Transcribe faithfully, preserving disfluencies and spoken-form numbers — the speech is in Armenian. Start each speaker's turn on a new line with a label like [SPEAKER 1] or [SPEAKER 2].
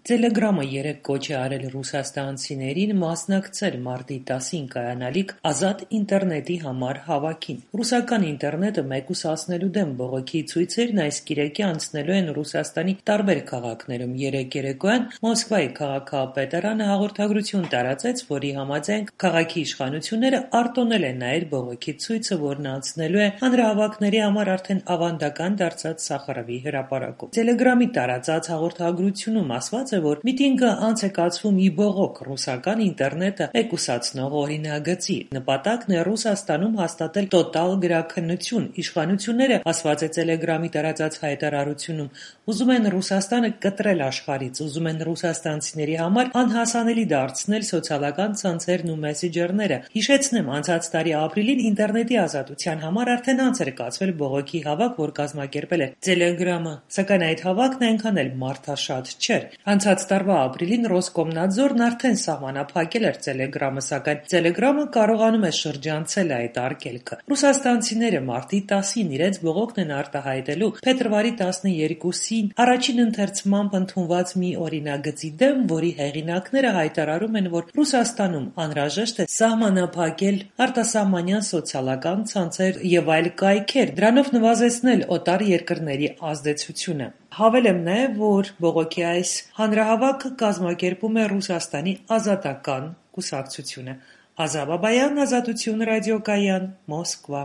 [SPEAKER 1] Տելեգրամը երեկ կոչ է արել ռուսաստանցիներին մասնակցել մարտի տասին կայանալիք ազատ ինտերնետի համար հավաքին։ Ռուսական ինտերնետը մեկուսացնելու դեմ բողոքի ցույցերն այս կիրակի անցնելու են Ռուսաստանի տարբեր քաղաքներում։ Երեկ երեկոյան Մոսկվայի քաղաքապետարանը հաղորդագրություն տարածեց, որի համաձայն քաղաքի իշխանությունները արտոնել են նայել բողոքի ցույցը, որն անցնելու է հանրահավաքների համար արդեն ավանդական դարձած Սախարովի հրապարակում։ Տելեգրամի տարածած հաղորդագրությունում ասված որ միտինգը անց է կացվում ի բողոք ռուսական ինտերնետը մեկուսացնող օրինագծի։ Նպատակն է Ռուսաստանում հաստատել տոտալ գրաքննություն։ Իշխանությունները, ասված է Տելեգրամի տարածած հայտարարությունում, ուզում են Ռուսաստանը կտրել աշխարհից, ուզում են ռուսաստանցիների համար անհասանելի դարձնել սոցիալական ցանցերն ու մեսենջերները։ Հիշեցնեմ, անցած տարի ապրիլին ինտերնետի ազատության համար արդեն անց էր կացվել բողոքի հավաք, որ կազմակերպել է Տելեգրամը, սակայն այդ հավաքն այնքան էլ մարդաշատ չէր։ Անցած տարվա ապրիլին Ռոսկոմնadzորն արդեն սահմանափակել էր Տելեգրամը, սակայն Տելեգրամը կարողանում է շրջանցել այդ արգելքը։ Ռուսաստանցիները մարտի տասին իրենց բողոքն են արտահայտելու փետրվարի տասներկուսին առաջին ընթերցմամբ ընդունված մի օրինագծի դեմ, որի հեղինակները հայտարարում են, որ Ռուսաստանում անհրաժեշտ է սահմանափակել արտասահմանյան սոցիալական ցանցեր և այլ կայքեր, դրանով նվազեցնել օտար երկրների ազդեցությունը։ Հավելեմ նաև, որ բողոքի այս հանրահավաքը կազմակերպում է Ռուսաստանի Ազատական կուսակցությունը։ Ազա Բաբայան, Ազատություն ռադիոկայան, Մոսկվա։